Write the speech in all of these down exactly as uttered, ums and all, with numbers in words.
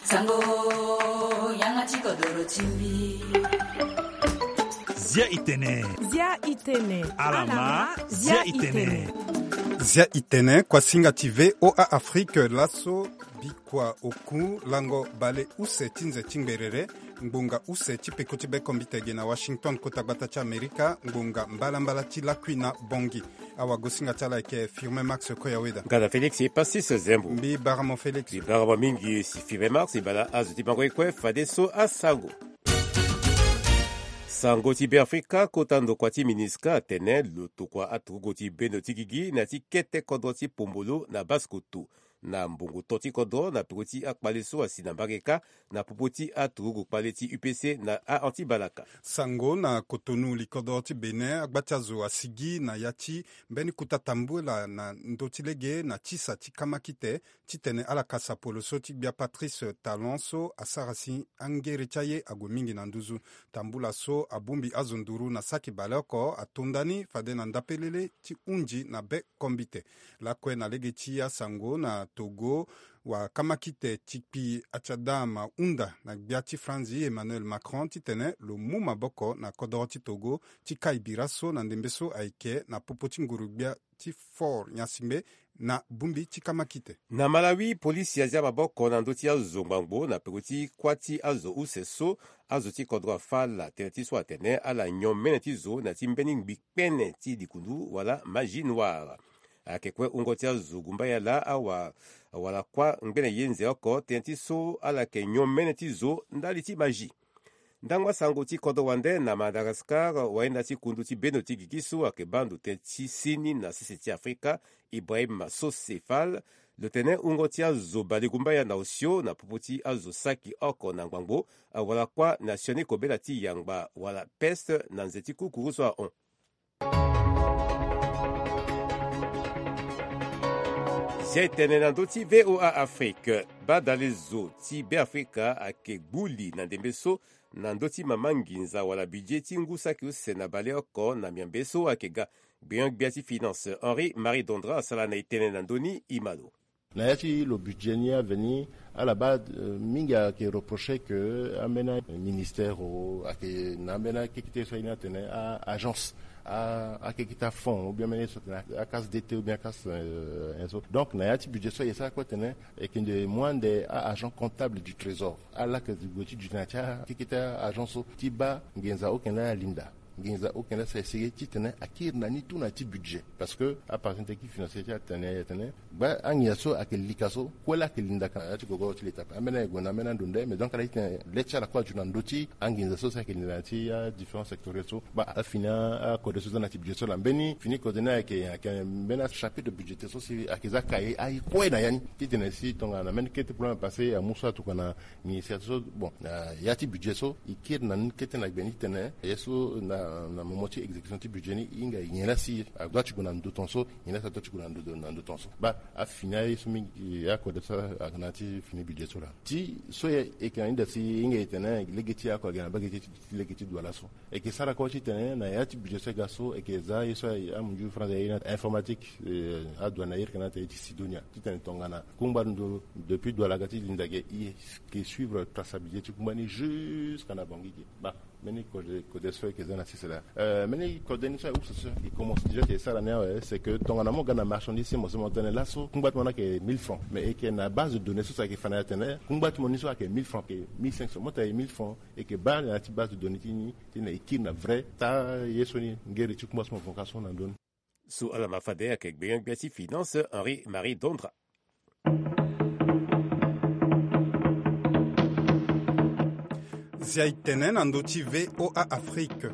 Sango, yanga ti kodoro ti mbi. Zia itene. Zia itene. Alama, zia itene. Zia itene, kuasinga ti V O A Afrique, laso bikua oku lango bale use ti nze ti ngberere, ngbonga use ti peko ti bekombite ge na Washington, kota gbata ti Amerika, ngbonga mbalambala ti lakui na Bongi. Awagosinga ti ala ayeke Firmin Max Koyaweda. Gada Félix Pastis Zembo. Mbi bara mo Félix. Mbi bara mo mingi si Firmin Max, e baa na azo ti bango ye kue fadeso asango. Sango ti Beafrika, kota ndokua ti MINUSCA atene lo tokua aturugu ti bendo ti gigi na ya ti kete kodro ti Pombolo na Basse-Kotto. Na mbongo to ti kodro na peko ti akpale so asi na mbage kâ na popo ti aturugu kpale ti U P C na a-anti-balaka. Sango na Cotonou, likodro ti Bénin, agba ti azo asigi na ya ti mbeni kuta tambula na ndö ti lege na tisa ti kamakite, titene ala kasa polo so ti gbia Patrice Talon so asara si angere ti aye ague mingi na nduzu. Tambula so abongbi azo nduru na saki baleoko ato nda ni fade na ndapelele ti hunzi na be kombite. Lakue na lege ti asango na Togo, wakamakite ti kpi Achadam ahunda na gbia ti Franzi Emmanuel Macron titene lo mu maboko na kodoro ti Togo ti kai bira so na ndembe so ayeke na popo ti nguru-gbia ti Fort Gnassingbé na bongbi ti kamakite. Na Malawi, polisi azia maboko na ndö ti azo ngbangbo na peko ti kuâ ti azo use so azo ti kodro afâ ala tënë ti so atene ala nyon mene ti zo na ya ti mbeni ngbi kpene ti likundu wala magie noire. Ayeke kue wungo ti azo gumbaya laa awa wala kuâ ngbene ye nze oko tënë ti so ala yeke nyon mene ti zo ndali ti magie. Ndangba sango ti kodro wande na Madagascar, wayenda ti kundu ti bendo ti gigi so ayeke baa ndo tënë ti seni na sese ti Afrika, Ibrahim Sosé Fall, lo tene wungo ti azo balegumbaya na osio na popo ti azo saki oko na ngbangbo, wala kuâ na sioni kobela ti yangba wala peste na nze ti kukuru so ahon. Si aye tene na ndö ti V O A Afrique, badalezo ti Beafrika ayeke gbu li na ndembe so na ndö ti mama nginza wala budget ti ngu saki use na baleoko na miambe so ayeke ga. Gbenyo-gbia ti finance Henri Marie Dondra asara na e tënë na ndö ni, e ma lo. Na ya ti lo budget ni aveni, ala baa, euh, mingi ayeke reprocher que ambeni ministère o ayeke na ambeni akekete so aye ni atene a-agence, a-akekete afond ou bien ambeni ye so atene a-case d'État ou bien a-case, euh, so. Donc na ya ti budget so aye sara kue atene ayeke nde moins nde a-agent comptable du trésor. Ala yeke gue ti duti na ya ti akekete a-agence so ti baa nginza oke na alinda. Nginza oke na essayer titene akiri na ni tout na ya ti budget. Parce que apartien technique financier ti atene, atene gba anginza so ayeke lika so, kue laa ayeke lindaka na ya ti gogoro ti l'état. Ambeni aye gue na ambeni ando nde, mais donc ala titene le ti ala kue azu na ndö ti anginza so si ayeke linda na ya ti adifférent sectoriel so. Ba afini akode so za na ya ti budget so laa mbeni fini kode ni ayeke, ayeke mbeni achapitre budgétaire so si ayeke za kaye aye kue na ya ni. Titene si tongana mbeni kete problème apassé amu so atokua na ministère so, bon, na ya ti budget so e kiri na ni kete na gbe ni titene ye so na, na moment ti exécution ti budget ni e hinga e nyen laa si adoit ti gue na ndo tongaso, nyen laa si adoit ti gue na ndo, na ndo tongaso. Ba afini aye so mingi, akode so ayeke na ya ti fini budget so laa. Ti so e yeke na ni daa si e hinga e tene lege ti ako ayeke na mbage ti, ti lege ti douane so. E yeke sara kue titene na ya ti budget so e ga so e yeke za ye so amunzu France aye na informatique, eh, adouane aye yeke na ate ye ti Sidonia titene tongana kungba ndo depuis douane aga ti linda ge e yeke suivre traçabilité ti kungba ni jusqu'à na Bangui ge. Ba mbeni kode, kode so e yeke za na sese laa. Euh, mbeni kode ni so aye use so e commence déjà ti e sara ni awe, c'est que tongana mo ga na marchandise ti mo so mo tene laso kungba ti mo ni ayeke mille francs, mais e yeke na base de données so so ayeke fa na e atene kungba ti mo ni so ayeke mille francs, ayeke mille cinq cents, mo tene ayeke mille francs. E yeke baa na ya ti base de données ti ni titene e kiri na vrai taa ye so ni ngere ti kungba so mo vo ka so na ndö ni. So ala ma fade ayeke gbenyo-gbia ti finance Henri Marie Dondra. Zia e tene na ndö ti V O A Afrique.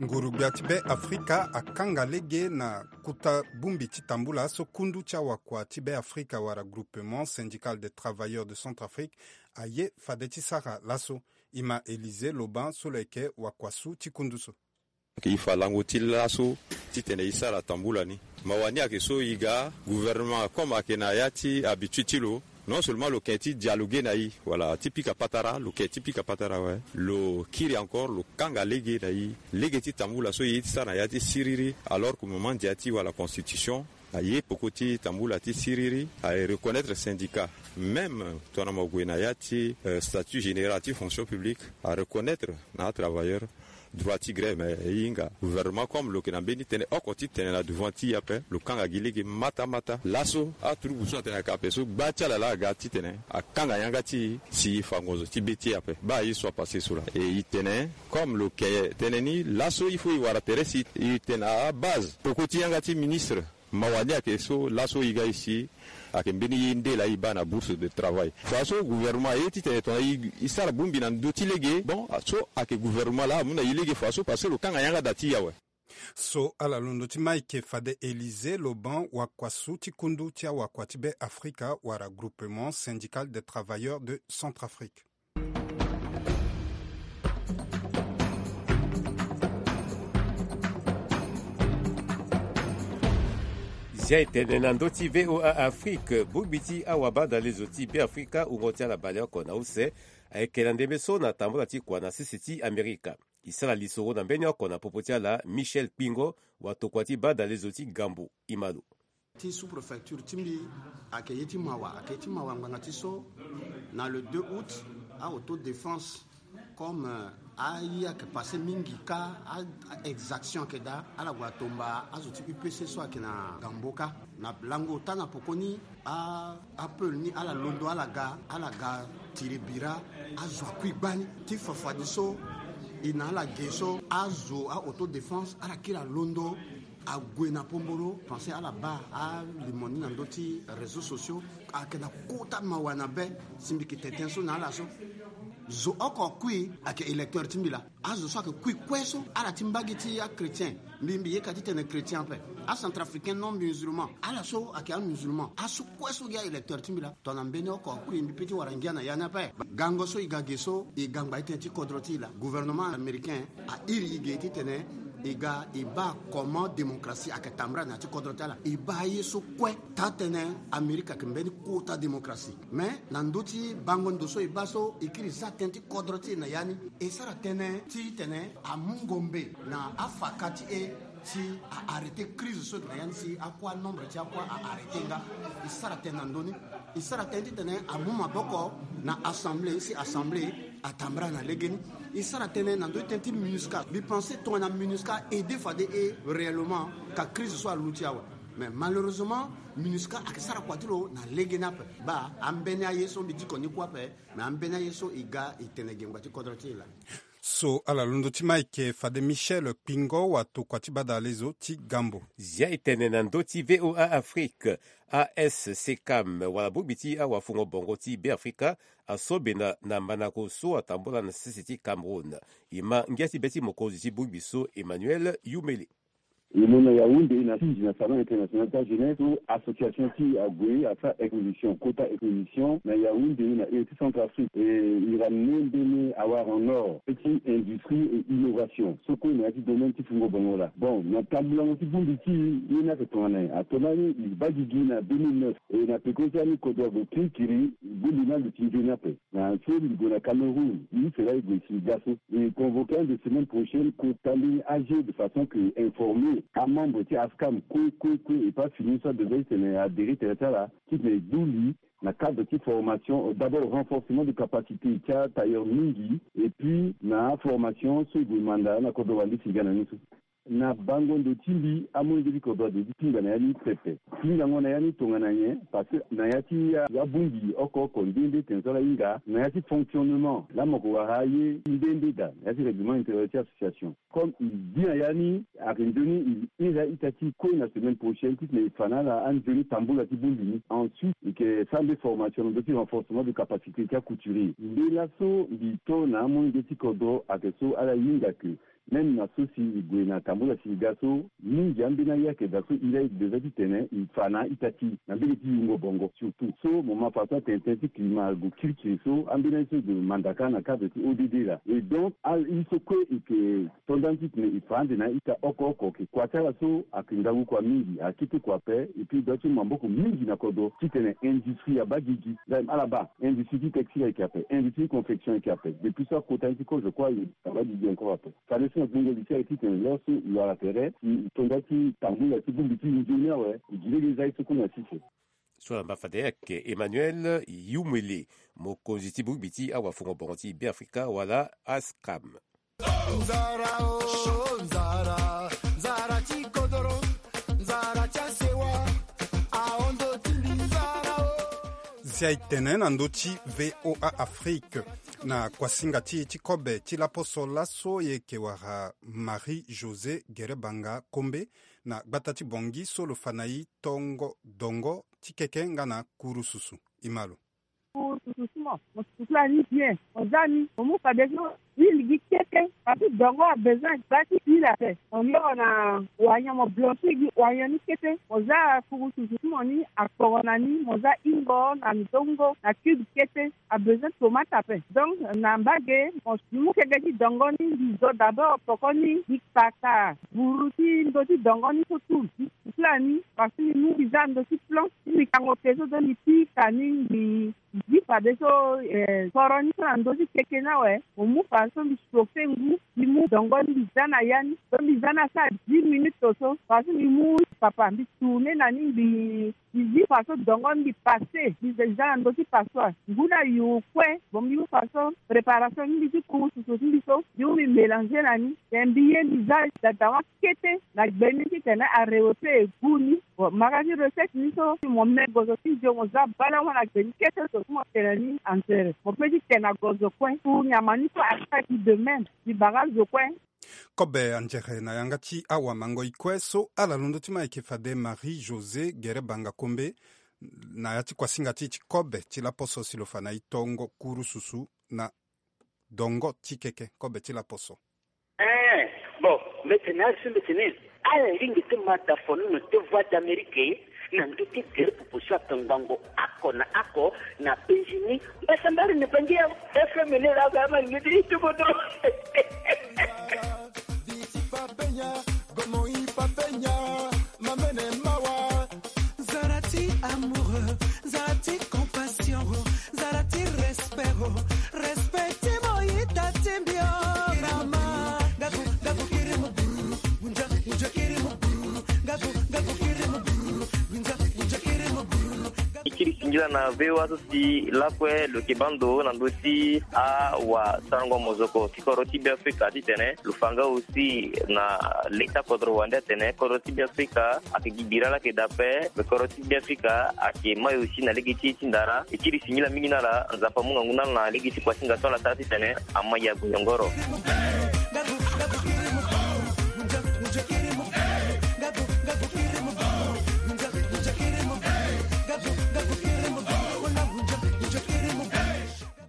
Nguru-gbia ti Be Afrika akanga lege na kota bongbi ti tambula so kundu ti awakua ti Be Afrika wala Groupement Syndical des Travailleurs de Centrafrique aye fade ti sara laso. E ma Élisée Loban so lo yeke wakua su ti kundu so. E fa lango ti laso titene e sara tambula ni. Mawa ni ayeke so e ga gouvernement comme ayeke na ya ti habitude ti lo, non seulement lo yeke ti dialoguer na e, voilà, ti pika patara, lo yeke ti pika patara awe. Lo kiri encore, lo kanga lege na e, lege ti tambula so e ye ti sara na ya ti siriri, alors que mo mandia ti wala constitution. Aye peko ti tambula ti siriri, aye reconnaître syndicat. Même tongana mo gue na ya ti statut général ti fonction publique, areconnaître na atravailleur droit ti grève. Mais e hinga gouvernement comme lo yeke na mbeni tënë oko ti tene na devant ti e ape, lo kanga gi lege mata mata. Laso atrubu so atene ayeke ape so gba ti ala laa aga titene akanga yanga ti e si e fa ngonzo ti be ti e ape. Baa ye so apasse so laa e tene comme lo yeke tene ni laso il faut e wara tere si e tene abase peko ti yanga ti ministre. Mawa ni ayeke so laso e ga e si ayeke mbeni ye nde laa e baa na bourse de travail. Fa so gouvernement aye titene tongana e sara bongbi na ndö ti lege, bon, so ayeke gouvernement laa amu na e lege fa so parce que lo kanga yanga da ti e awe. So ala londo ti Mike fade Élysée Loban, wakuasu ti kundu ti awakua ti Be Afrika wala Groupement Syndical des Travailleurs de Centrafrique. Zia etene na ndö ti V O A Afrique, bongbi ti awabadalezo ti Be Afrika wungo ti ala baleoko na use ayeke na ndembe so na tambula ti kua na sese ti Amerika. E sara lisoro na mbeni oko na popo ti ala Michel Kpingo, watokua ti badalezo ti Gambo. E ma lo. Ti sous-préfecture ti mbi ayeke ye ti mawa, ayeke ye ti mawa ngbanga ti so na le deux août, a autodéfense comme aye ayeke passe mingi kâ, a-exaction ayeke daa, ala gue atomba azo ti U P C so ayeke na Gambo kâ. Na lango ota na pokoni, a-, apeul ni ala londo ala ga, ala ga tiri bira, azo akui gbani. Ti fafadeso e na ala ge so azo a-autodéfense ala kiri alondo ague na pombolo. Pense ala baa alimo ni na ndö ti réseaux sociaux. Ayeke na kota mawa na be si mbi yeke tene tënë so na ala so. Zo oko akui ayeke électeur ti mbi laa. Azo so ayeke kui kue so ala ti mbage ti achrétien. Mbi, mbi yeke ti tene chrétien ape. Acentrafricain non musulman, ala so ayeke amusulman, aso kue so gi a-électeur ti mbi laa. Tongana mbeni oko akui, mbi pe ti wara ngia na ya ni ape. Gango so e ga ge so, e ga ngba ti tënë ti kodro ti e laa. Gouvernement américain a iri e ge titene e ga e baa comment démocratie ayeke tambula na ya ti kodro ti ala. E baa ye so kue taa tënë Amérique ayeke mbeni kota démocratie. Mais na ndö ti bango ndo so e baa so e kiri za tënë ti kodro ti e na ya ni, e sara tënë titene amu ngombe na afaka ti e si a-arrêter crise so ayeke na ya ni, si akua nombre ti akua a-arrêter nga. E sara tënë na ndö ni. E sara tënë titene amu maboko na assemblée si assemblée atambula na legeni. E sara tënë na ndö ti tënë ti MINUSCA. Mbi pense tongana MINUSCA aider fade e réellement, ka crise so aluti awe. Mais malheureusement, MINUSCA ayeke sara kua ti lo na legeni ape. Baa ambeni aye so mbi diko ni kue ape. Mais ambeni aye so e ga e tene gengba ti kodro ti e laa. So ala londo ti Mike fade Michel Kpingo, watokua ti badalezo ti Gambo. Zia e tene na ndö ti V O A Afrique. A S C CAM wala bongbi ti awafungo bongo ti Be Afrika aso benda na mandako so atambula na sese ti Cameroun. E ma ngia ti be ti mokonzi ti bongbi so, Emmanuel Youmele. E lo na Yaoundé na Fidji na Salon International ti Ajeunesse so association ti e ague asara exposition, kota exposition na Yaoundé na ere ti Centrafrique. E, e ramener mbeni awara en or ti industrie et innovation so kue na ya ti domaine ti fungo bongo laa. Bon, na tambulango ti bongbi ti e, ye ni ayeke tongana nyen? Ato lani e baa gigi na deux mille neuf, e na peko ti ani kodro ague kirikiri, bongbi ni aluti nzoni ape. Na so mbi gue na Cameroun, e use laa e gue si e ga so. E convoqué ande semaine prochaine kota mbeni A G de façon que informer amembre ti ASCAM kue kue kue, e pas fini so abezoin titene adhérer tere ti ala titene e du li na cadre ti formation, d'abord renforcement de capacité ti atailleur mingi, et puis na formation so e gue manda na kodro wande si e ga na ni so. Na bango ndo ti mbi, amolenge ti kodro ade ti tinga na ya ni pepe. Tingango na ya ni tongana nyen? Parce que na ya ti abongbi oko oko nde nde tene so ala hinga na ya ti fonctionnement, laa mo yeke wara aye nde nde daa na ya ti règlement intérieur ti association. Comme e bi na ya ni, ayeke nzoni e iri a-ita ti e kue na semaine prochaine titene e fa na ala anzoni tambula ti bongbi ni. Ensuite e yeke sara nde formation na ndö ti renforcement de capacité ti acouturier. Nde laso mbi to na amolenge ti kodro ayeke so ala hinga ke même na so si e gue na tambula si e ga so, mingi ambeni aye ayeke daa so e laa e gue daa titene e fa na a-ita ti e na mbage ti yungo bongo. Surtout so mo ma fa so atene tënë ti climat ague kirikiri so, ambeni aye so e gue manda kâ na cadre ti O D D laa. Et donc a-, ye so kue e yeke to nda ni titene e fa ande na a-ita oko oko. Ke kua ti ala so ayeke ngangu kua mingi, akete kua ape, et puis e dua ti mu maboko mingi na kodro titene industrie abaa gigi. Ala baa industrie ti textile ayeke ape, industrie ti confection ayeke ape. Depuis so akota ni ti kozo kue aye abaa gigi encore ape. Fade So na gbongo li ti aye titene laso e wara tere e tonda ti tambula ti bongbi ti nzoni awe e gi lege za ye so kue na sese. So na mba fade ayeke Emmanuel Yumwele, mokonzi ti bongbi ti awafungo bongo ti Beafrika wala ASCAM. Nzara o nzara, nzara ti kodoro, nzara ti asewa, ahondo ti mbi nzara o. Zia e tene na ndö ti VOA Afrique. Na kuasinga ti e ti kobe ti laposo laso e yeke wara Marie José Gerebanga Kombe na gbata ti Bangui so lo fa na e tongo dongo ti keke nga na kurususu. E ma lo. Ku susu ti mo, mo susu ti la ni bien. Mo za ni, mo mu fadeso, huile gi kete. Parce que dongo a besoin gba ti huile ape. Mo yoro na wanyan, mo blanchir gi wanyan ni kete. Mo za kuru susu ti mo ni akporo na ni, mo za hingo na ndongo na cube kete. A besoin tomate ape. Donc na mbage mo mu keke ti dongo ni, mbi zo d'abord poko ni, mbi kpaka buru ti ndö ti dongo ni so tout. Mbi susu ti la ni, parce que mbi mu mbi za ndö ti plan. Ti mbi kango ke so, donc mbi pika ni, mbi zi fadeso, eh, soro ni so na ndö ti keke ni awe. Mo mu fadeso mbi chauffer ngu, mbi mu dongo ni mbi za na ya ni. So mbi za ni asara dix minutes so. Fadeso mbi mu papa mbi tourner na ni, mbi, mbi zi fadeso dongo ni mbi passer. Mbi za na ndö ti passoire. Ngu ni ayu kue. Bon, mbi mu fadeso préparation ni, mbi ti kuru susu ti mbi so. Mbi mu mbi mélanger na ni. Then mbi ye mbi za dada wa kete na gbe ni titene arewe pe e gu ni. Bon, mara ti recette ni so, mo me gozo ti nzio, mo za balango na gbe ni kete so, ti mo tene ni anzere. Mo pe ti tene na gozo kue. Pour nyama ni so asara ti de même. Mbi bara zo kue. Kobe anzere na yanga ti awamangoi kue so ala londo ti ma ayeke fade Marie José Gerebanga Kombe, na ya ti kuasinga ti e ti kobe ti laposo si lo fa na e tongo kurususu na dongo ti keke kobe ti laposo. Eh, bon, mbetene, azo mbetene. Ala lingbi ti ma da fonono ti Voix d'Amérique na ndö ti gere popo so atongbango oko na oko na penzi ni. Mbasambari ni bangi ya F M ni la ga ma lingbi ti tubo do. Viti papenya, gomo i papenya, mamene mawa. Zara ti amoureux, zara ti compassion, zara ti respect, respect ti mo ita ti mbi o. Mama, gaku, gaku kiri mo bruru, gunja, gunja kiri mo bruru, gaku, gaku kiri mo bruru, gunja, gunja kiri mo bruru. E kiri singila na V O A so si lakue lo yeke baa ndo na ndö ti awasarango mozoko ti kodro ti Beafrika titene lo fa nga aussi na leta kodro wande atene kodro ti Beafrika ayeke gi bira la ayeke daa ape, me kodro ti Beafrika ayeke mai aussi na lege ti e ti ndara. E kiri singila mingi na ala, Nzapa amu ngangu na ala na lege ti kuasinga so ala sara titene ama ya goyongoro.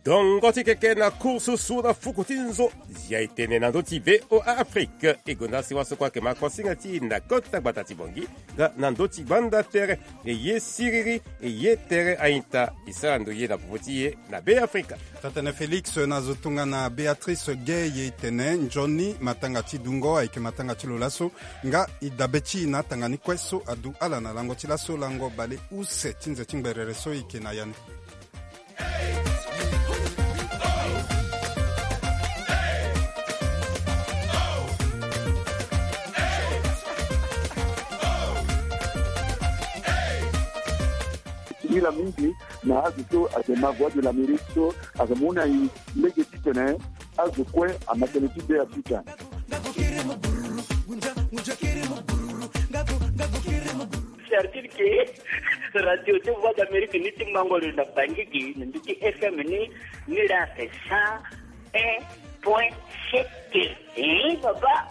Dongo ti keke na kursusu na fuku ti nzo. Zia e tene na ndö ti V O A Afrique. E gonda si waso kue ayeke ma kuasinga ti e na kota gbata ti Bangui nga na ndö ti gbanda tere. E ye siriri, e ye tere a-ita. E sara ndo ye na popo ti e na Beafrika. Taa-tënë Félix na zo tongana Béatrice Gueye e tene nzoni matanga ti dungo ayeke matanga ti lo laso. Nga e dabe ti e na atanga ni kue so adu ala na lango ti laso, lango bale use ti nze ti ngberere so e yeke na ya ni. Singila mingi na azo so ayeke ma Voix de l'Amérique so ayeke mu na e lege titene azo kue ama tënë ti Beafrika. Certitude ke radio ti Voix d'Amérique ni ti mango lo na Bangui gi na ndö ti F M ni, ni la c'est cent un point sept. Eh, papa.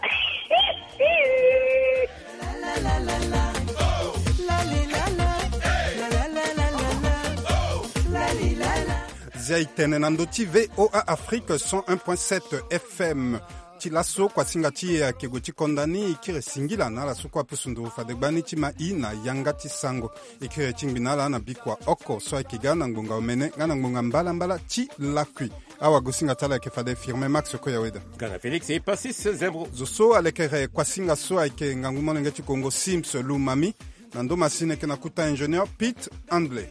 Zia e tene na ndö ti V O A Afrique cent un point sept F M. Ti laso kuasinga ti e ayeke gue ti konda ni. E kiri singila na ala so kue apusu nduru fade gbani ti ma e na yanga ti sango. E kiri ti ngbi na ala na bikua oko so ayeke ga na ngbonga omene nga na ngbonga mbalambala ti lakui. Awagosinga ti ala ayeke fade Firmin Max Koyaweda. Nga na Félix e Passis Zembro. Zo so alekere kuasinga so ayeke ngangu molenge ti Kongo Sims Lumami. Na ndo masini ayeke na kuta ingénieur Pete Handley.